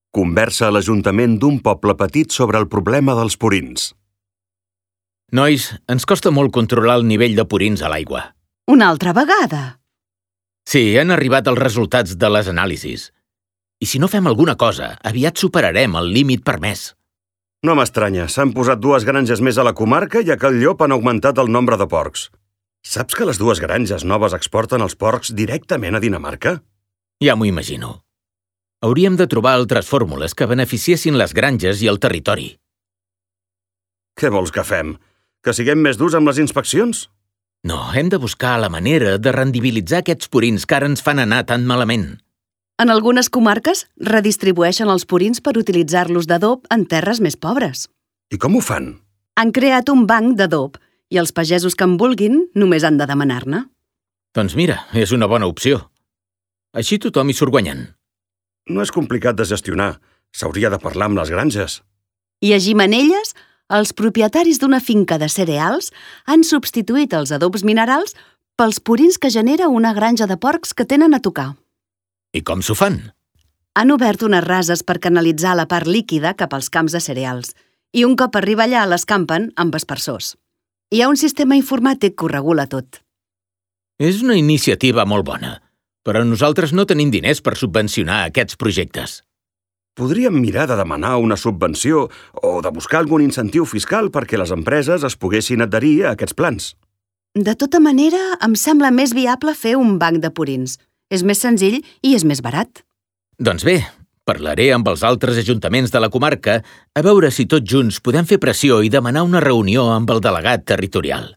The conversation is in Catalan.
Conversa a l'Ajuntament d'un poble petit sobre el problema dels purins. Nois, ens costa molt controlar el nivell de purins a l'aigua. Una altra vegada? Sí, han arribat els resultats de les anàlisis. I si no fem alguna cosa, aviat superarem el límit permès. No m'estranya, s'han posat 2 granges més a la comarca i a Cal Llop han augmentat el nombre de porcs. Saps que les 2 granges noves exporten els porcs directament a Dinamarca? Ja m'ho imagino. Hauríem de trobar altres fórmules que beneficiessin les granges i el territori. Què vols que fem? Que siguem més durs amb les inspeccions? No, hem de buscar la manera de rendibilitzar aquests purins que ara ens fan anar tan malament. En algunes comarques redistribueixen els purins per utilitzar-los d'adob en terres més pobres. I com ho fan? Han creat un banc d'adob i els pagesos que en vulguin només han de demanar-ne. Doncs mira, és una bona opció. Així tothom hi surt guanyant. No és complicat de gestionar. S'hauria de parlar amb les granges. I a Gimenelles, els propietaris d'una finca de cereals han substituït els adobs minerals pels purins que genera una granja de porcs que tenen a tocar. I com s'ho fan? Han obert unes rases per canalitzar la part líquida cap als camps de cereals i un cop arriba allà l'escampen amb aspersors. Hi ha un sistema informàtic que ho regula tot. És una iniciativa molt bona, però nosaltres no tenim diners per subvencionar aquests projectes. Podríem mirar de demanar una subvenció o de buscar algun incentiu fiscal perquè les empreses es poguessin adherir a aquests plans. De tota manera, em sembla més viable fer un banc de purins. És més senzill i és més barat. Doncs bé, parlaré amb els altres ajuntaments de la comarca a veure si tots junts podem fer pressió i demanar una reunió amb el delegat territorial.